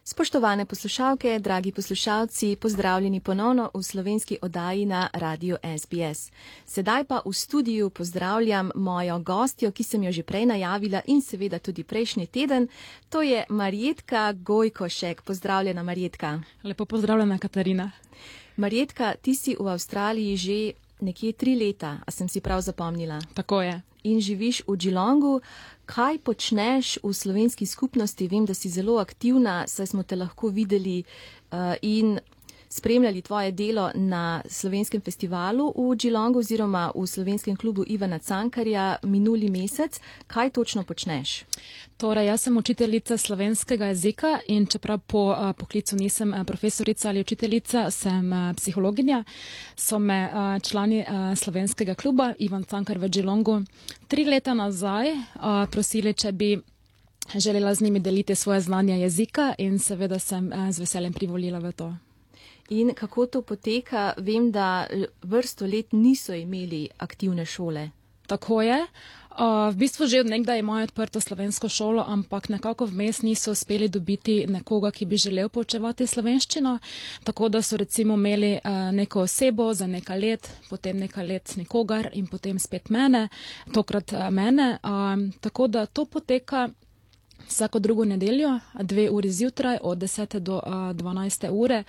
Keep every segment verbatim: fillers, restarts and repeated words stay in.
Spoštovane poslušalke, dragi poslušalci, pozdravljeni ponovno v slovenski oddaji na Radiu S B S. Sedaj pa v studiu pozdravljam mojo gostjo, ki sem jo že prej najavila in seveda tudi prejšnji teden. To je Marjetka Gojkošek. Pozdravljena, Marjetka. Lepo pozdravljena, Katarina. Marjetka, ti si v Avstraliji že nekje tri leta, a sem si prav zapomnila? Tako je. In živiš v Geelongu. Kaj počneš v slovenski skupnosti? Vem, da si zelo aktivna, saj smo te lahko videli uh, in spremljali tvoje delo na slovenskem festivalu v Geelongu oziroma v slovenskem klubu Ivana Cankarja minuli mesec. Kaj točno počneš? Torej, jaz sem učiteljica slovenskega jezika in čeprav po uh, poklicu nisem uh, profesorica ali učiteljica, sem uh, psihologinja, so me uh, člani uh, slovenskega kluba Ivan Cankar v Geelongu tri leta nazaj uh, prosili, če bi želela z njimi deliti svoje znanje jezika in seveda sem uh, z veseljem privolila v to. In kako to poteka? Vem, da vrsto let niso imeli aktivne šole. Tako je. Uh, v bistvu že od nekdaj imajo odprto slovensko šolo, ampak nekako vmes niso uspeli dobiti nekoga, ki bi želel poučevati slovenščino, tako da so recimo imeli uh, neko osebo za nekaj let, potem nekaj let nikogar in potem spet mene, tokrat uh, mene. Uh, tako da to poteka vsako drugo nedeljo, dve uri zjutraj od desete do uh, dvanajste ure.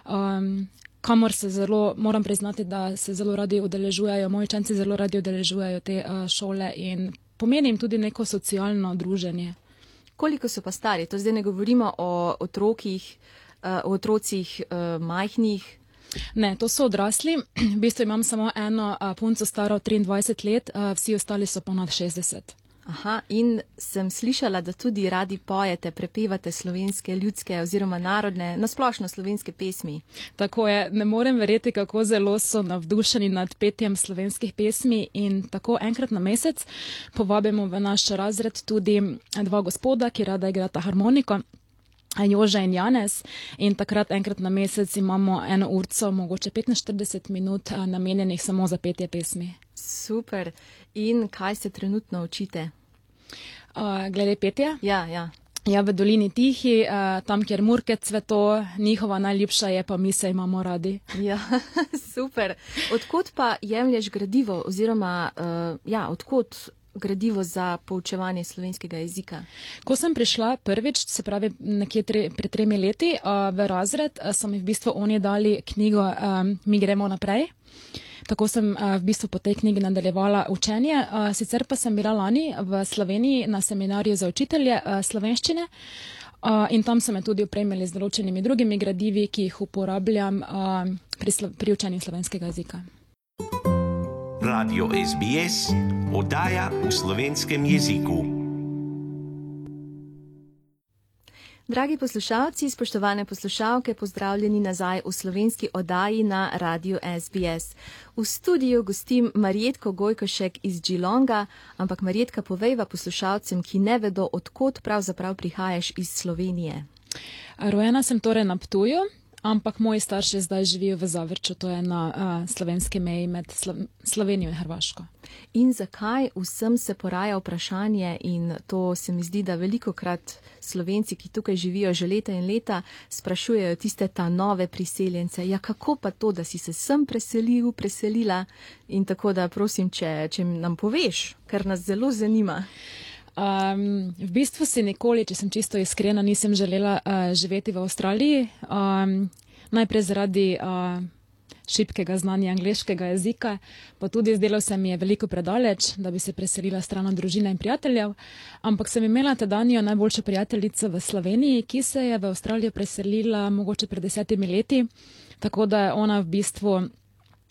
Um, kamor se zelo, moram priznati, da se zelo radi udeležujejo, moji učenci zelo radi udeležujejo te uh, šole in pomeni jim tudi neko socialno druženje. Koliko so pa stari? To zdaj ne govorimo o otrokih, uh, o otrocih uh, majhnih. Ne, to so odrasli. V bistvu imam samo eno uh, punco staro triindvajset let, uh, vsi ostali so ponad šestdeset. Aha, in sem slišala, da tudi radi pojete, prepevate slovenske, ljudske oziroma narodne, nasplošno slovenske pesmi. Tako je, ne morem verjeti, kako zelo so navdušeni nad petjem slovenskih pesmi in tako enkrat na mesec povabimo v naš razred tudi dva gospoda, ki rada igrata harmoniko, Jože in Janez, in takrat enkrat na mesec imamo eno urco, mogoče petinštirideset minut namenjenih samo za petje pesmi. Super. In kaj se trenutno učite? Uh, glede petja? Ja, ja. Ja, v Dolini Tihi, uh, tam, kjer murke cveto, njihova najljubša je pa Mi se imamo radi. Ja, super. Odkot pa jemlješ gradivo oziroma, uh, ja, odkot gradivo za poučevanje slovenskega jezika? Ko sem prišla prvič, se pravi nekje tre, pred tremi leti, uh, v razred, uh, so mi v bistvu oni dali knjigo um, Mi gremo naprej. Tako sem uh, v bistvu po tej knjigi nadaljevala učenje. Uh, sicer pa sem bila lani v Sloveniji na seminarju za učitelje uh, slovenščine uh, in tam so me tudi opremili z določenimi drugimi gradivi, ki jih uporabljam uh, pri, slo, pri učenju slovenskega jezika. Radio S B S, oddaja v slovenskem jeziku. Dragi poslušalci, spoštovane poslušalke, pozdravljeni nazaj v slovenski oddaji na Radiu S B S. V studiu gostim Marjetko Gojkošek iz Geelonga, ampak Marjetka, povejva poslušalcem, ki ne vedo, odkot pravzaprav prihajaš iz Slovenije. Rojena sem torej na Ptuju, ampak moji starši zdaj živijo v Zavrču, to je na uh, slovenski meji med Slo- Slovenijo in Hrvaško. In zakaj vsem se poraja vprašanje, in to se mi zdi, da velikokrat Slovenci, ki tukaj živijo že leta in leta, sprašujejo tiste ta nove priseljence, ja kako pa to, da si se sem preselil, preselila, in tako da prosim, če, če nam poveš, ker nas zelo zanima. Um, v bistvu si nikoli, če sem čisto iskrena, nisem želela uh, živeti v Avstraliji. Um, najprej zaradi uh, šibkega znanja angleškega jezika, pa tudi zdelo se mi je veliko predaleč, da bi se preselila stran od družine in prijateljev. Ampak sem imela tedanjo najboljšo prijateljico v Sloveniji, ki se je v Avstralijo preselila mogoče pred desetimi leti, tako da je ona v bistvu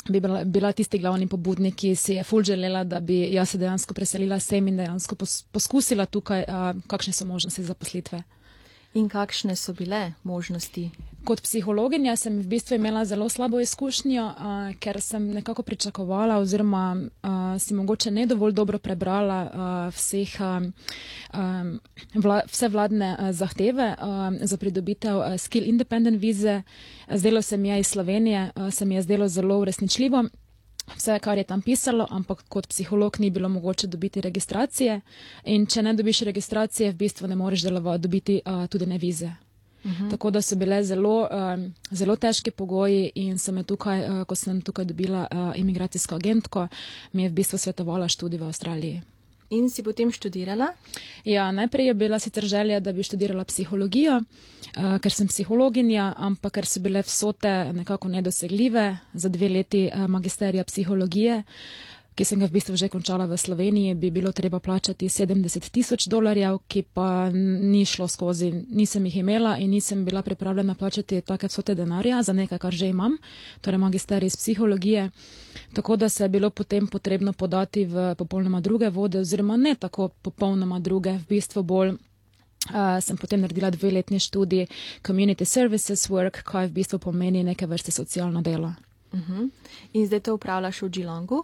bi bila, bila tisti glavni pobudnik, ki si je ful želela, da bi jaz se dejansko preselila sem in dejansko pos, poskusila tukaj, a, kakšne so možnosti zaposlitve. In kakšne so bile možnosti? Kot psihologinja sem v bistvu imela zelo slabo izkušnjo, a, ker sem nekako pričakovala oziroma a, si mogoče ne dovolj dobro prebrala a, vseh, a, a, vla, vse vladne a, zahteve a, za pridobitev a, skill independent vize. Zdelo se mi je iz Slovenije, a, se mi je zdelo zelo uresničljivo. Vse, kar je tam pisalo, ampak kot psiholog ni bilo mogoče dobiti registracije in če ne dobiš registracije, v bistvu ne moreš delovati, dobiti uh, tudi ne vize. Uh-huh. Tako da so bile zelo, um, zelo težki pogoji in sem je tukaj, uh, ko sem tukaj dobila uh, imigracijsko agentko, mi je v bistvu svetovala študij v Avstraliji. In si potem študirala? Ja, najprej je bila sicer želja, da bi študirala psihologijo, uh, ker sem psihologinja, ampak ker so bile vsote nekako nedosegljive za dve leti uh, magisterija psihologije, ki sem ga v bistvu že končala v Sloveniji, bi bilo treba plačati sedemdeset tisoč dolarjev, ki pa ni šlo skozi, nisem jih imela in nisem bila pripravljena plačati take vsote denarja za nekaj, kar že imam, torej magisterij iz psihologije. Tako da se je bilo potem potrebno podati v popolnoma druge vode, oziroma ne tako popolnoma druge, v bistvu bolj. Uh, sem potem naredila dveletni študij Community Services Work, kaj v bistvu pomeni neke vrste socialno delo. Uh-huh. In zdaj to upravljaš v Geelongu?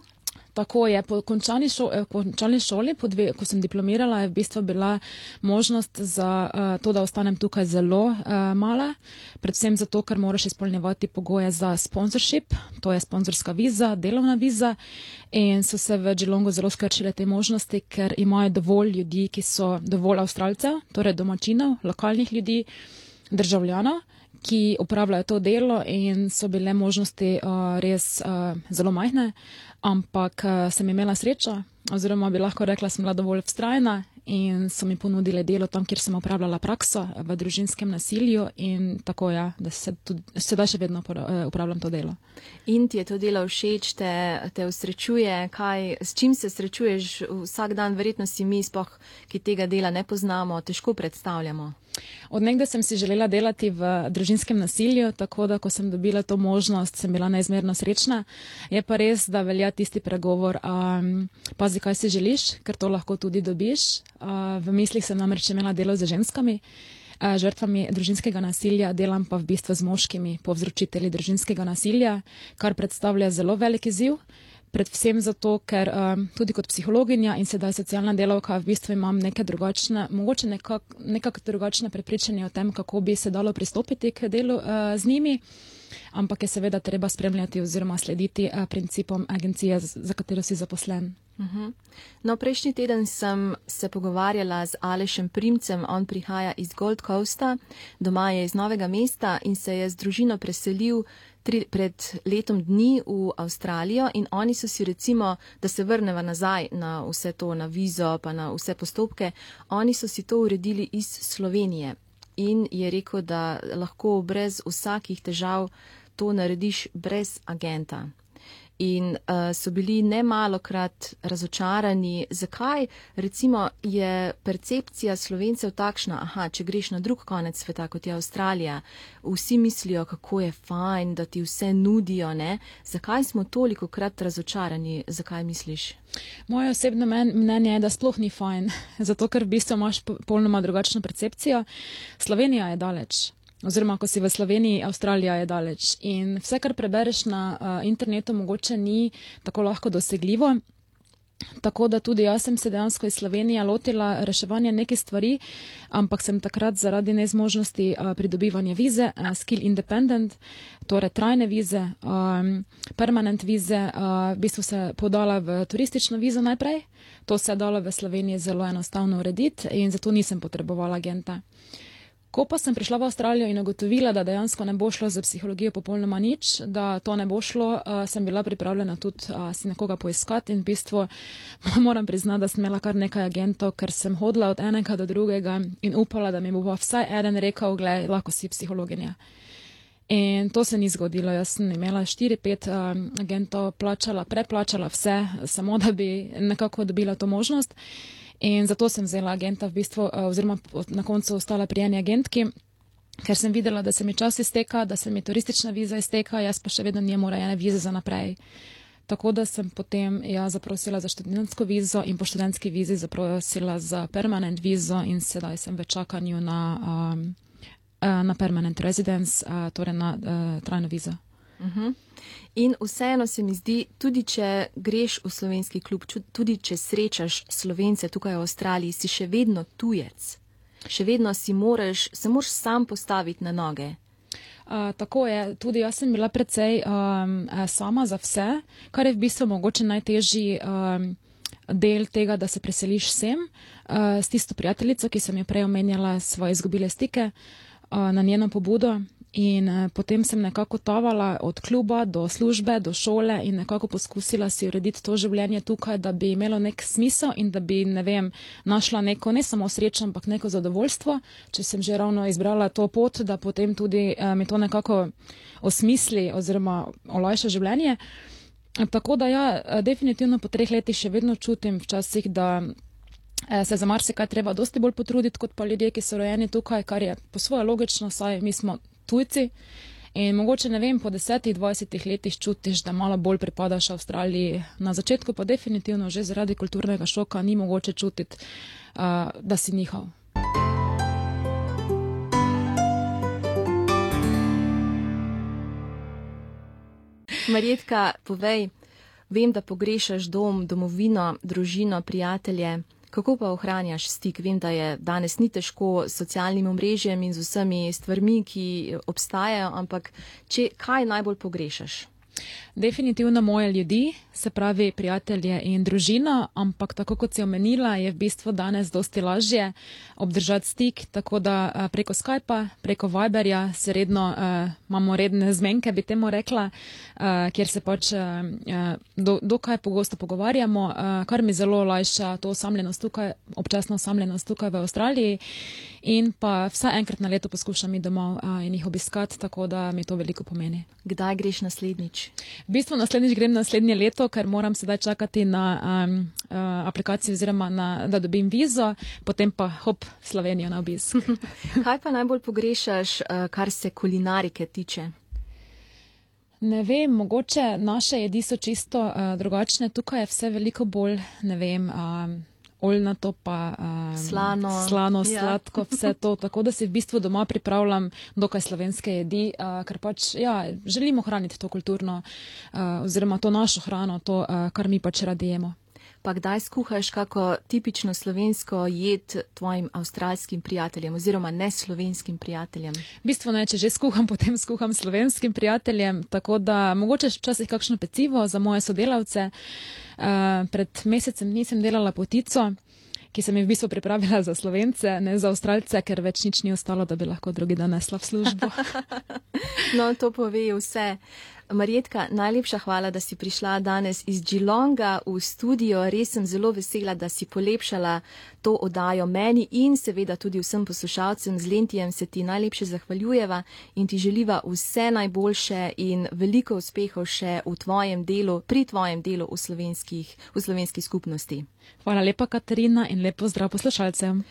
Tako je, po končani, šo, končani šoli, po dve, ko sem diplomirala, je v bistvu bila možnost za uh, to, da ostanem tukaj zelo uh, mala, predvsem zato, ker moraš izpolnjevati pogoje za sponsorship, to je sponzorska viza, delovna viza, in so se v Geelongu zelo skrčile te možnosti, ker imajo dovolj ljudi, ki so dovolj Avstralcev, torej domačinov, lokalnih ljudi, državljanov, ki upravljajo to delo in so bile možnosti uh, res uh, zelo majhne, ampak uh, sem imela srečo, oziroma bi lahko rekla, sem bila dovolj vztrajna in so mi ponudile delo tam, kjer sem upravljala prakso v družinskem nasilju in tako je, da se tudi, sedaj še vedno upravljam to delo. In ti je to delo všeč, te, te usrečuje, kaj, s čim se srečuješ vsak dan, verjetno si mi sploh, ki tega dela ne poznamo, težko predstavljamo. Od nekdaj sem si želela delati v družinskem nasilju, tako da ko sem dobila to možnost, sem bila neizmerno srečna. Je pa res, da velja tisti pregovor, um, pazi, kaj si želiš, ker to lahko tudi dobiš. Uh, v mislih sem namreč imela delo z ženskami, uh, žrtvami družinskega nasilja, delam pa v bistvu z moškimi povzročitelji družinskega nasilja, kar predstavlja zelo velik izziv. Predvsem zato, ker um, tudi kot psihologinja in sedaj socialna delavka v bistvu imam neke drugačne, mogoče nekak, nekak drugačne prepričanje o tem, kako bi se dalo pristopiti k delu uh, z njimi, ampak je seveda treba spremljati oziroma slediti uh, principom agencije, za katero si zaposlen. Uh-huh. No, prejšnji teden sem se pogovarjala z Alešem Primcem, on prihaja iz Gold Coasta, doma je iz Novega mesta in se je z družino preselil tri, pred letom dni v Avstralijo in oni so si recimo, da se vrneva nazaj na vse to, na vizo pa na vse postopke, oni so si to uredili iz Slovenije in je rekel, da lahko brez vsakih težav to narediš brez agenta. In uh, so bili nemalokrat razočarani, zakaj recimo je percepcija Slovencev takšna, aha, če greš na drug konec sveta, kot je Avstralija, vsi mislijo, kako je fajn, da ti vse nudijo, ne? Zakaj smo toliko krat razočarani, zakaj misliš? Moje osebno mnenje je, da sploh ni fajn, zato ker v bistvu imaš popolnoma drugačno percepcijo. Slovenija je daleč. Oziroma, ko si v Sloveniji, Avstralija je daleč. In vse, kar prebereš na uh, internetu, mogoče ni tako lahko dosegljivo. Tako da tudi jaz sem se dejansko iz Slovenije lotila reševanja nekaj stvari, ampak sem takrat zaradi nezmožnosti uh, pridobivanja vize, uh, skill independent, torej trajne vize, um, permanent vize, uh, v bistvu se podala v turistično vizo najprej. To se je dalo v Sloveniji zelo enostavno urediti in zato nisem potrebovala agenta. Ko pa sem prišla v Avstralijo in ugotovila, da dejansko ne bo šlo za psihologijo popolnoma nič, da to ne bo šlo, uh, sem bila pripravljena tudi uh, si nekoga poiskati in v bistvu moram priznati, da sem imela kar nekaj agentov, ker sem hodila od enega do drugega in upala, da mi bo vsaj eden rekel, glej, lahko si psihologinja. In to se ni zgodilo. Jaz sem imela štiri, pet um, agentov, plačala, preplačala vse, samo da bi nekako dobila to možnost. In zato sem vzela agenta v bistvu, oziroma na koncu ostala pri eni agentki, ker sem videla, da se mi čas izteka, da se mi turistična viza izteka, jaz pa še vedno njemu rejene vize za naprej. Tako da sem potem ja zaprosila za študentsko vizo in po študentski vizi zaprosila za permanent vizo in sedaj sem v čakanju na, um, na permanent residence, uh, torej na uh, trajno vizo. Uh-huh. In vseeno se mi zdi, tudi če greš v slovenski klub, tudi če srečaš Slovence tukaj v Avstraliji, si še vedno tujec. Še vedno si moraš, se moraš sam postaviti na noge. Uh, tako je, tudi jaz sem bila precej um, sama za vse, kar je v bistvu mogoče najtežji um, del tega, da se preseliš sem uh, s tisto prijateljico, ki sem jo prej omenjala, svoje izgubile stike. na njeno pobudo. In uh, potem sem nekako tovala od kluba do službe, do šole in nekako poskusila si urediti to življenje tukaj, da bi imelo nek smisel in da bi, ne vem, našla neko, ne samo srečo, ampak neko zadovoljstvo, če sem že ravno izbrala to pot, da potem tudi uh, mi to nekako osmisli oziroma olajša življenje. Tako da ja, definitivno po treh letih še vedno čutim včasih, da se za marsikaj treba dosti bolj potruditi kot pa ljudje, ki so rojeni tukaj, kar je po svoje logično, saj mi smo tujci in mogoče, ne vem, po desetih, dvajsetih letih čutiš, da malo bolj pripadaš Avstraliji. Na začetku pa definitivno že zaradi kulturnega šoka ni mogoče čutiti, uh, da si njihov. Marjetka, povej, vem, da pogrešaš dom, domovino, družino, prijatelje. Kako pa ohranjaš stik? Vem, da je danes ni težko s socialnim omrežjem in z vsemi stvarmi, ki obstajajo, ampak če, kaj najbolj pogrešaš? Definitivno moje ljudi, se pravi prijatelje in družino, ampak tako kot si omenila, je v bistvu danes dosti lažje obdržati stik, tako da preko Skypa, preko Viberja se redno, uh, imamo redne zmenke, bi temu rekla, uh, kjer se pač uh, do, dokaj pogosto pogovarjamo, uh, kar mi zelo olajša to osamljenost tukaj, občasno osamljenost tukaj v Avstraliji in pa vsaj enkrat na leto poskušam iti domov uh, in jih obiskati, tako da mi to veliko pomeni. Kdaj greš naslednjič? V bistvu naslednjič grem naslednje leto, ker moram sedaj čakati na um, uh, aplikacijo oziroma na, da dobim vizo, potem pa hop Slovenijo na obisk. Kaj pa najbolj pogrešaš, uh, kar se kulinarike tiče? Ne vem, mogoče naše jedi so čisto uh, drugačne, tukaj je vse veliko bolj, ne vem, um, oljnato pa um, slano, slano ja. Sladko, vse to, tako da si v bistvu doma pripravljam dokaj slovenske jedi, uh, ker pač, ja, želimo hraniti to kulturno, uh, oziroma to našo hrano, to, uh, kar mi pač radi jemo. Pa kdaj skuhaš kako tipično slovensko jed tvojim avstralskim prijateljem oziroma neslovenskim prijateljem? V bistvu ne, če že skuham, potem skuham slovenskim prijateljem, tako da mogoče včasih kakšno pecivo za moje sodelavce. Uh, pred mesecem nisem delala potico, ki sem jih v bistvu pripravila za Slovence, ne za Avstralce, ker več nič ni ostalo, da bi lahko drugi dan nesla v službo. No, to pove vse. Marjetka, najlepša hvala, da si prišla danes iz Geelonga v studio. Res sem zelo vesela, da si polepšala to oddajo meni in seveda tudi vsem poslušalcem. Z Lentijem se ti najlepše zahvaljujeva in ti želiva vse najboljše in veliko uspehov še v tvojem delu, pri tvojem delu v slovenskih, v slovenski skupnosti. Hvala lepa, Katarina, in lepo zdrav poslušalcem.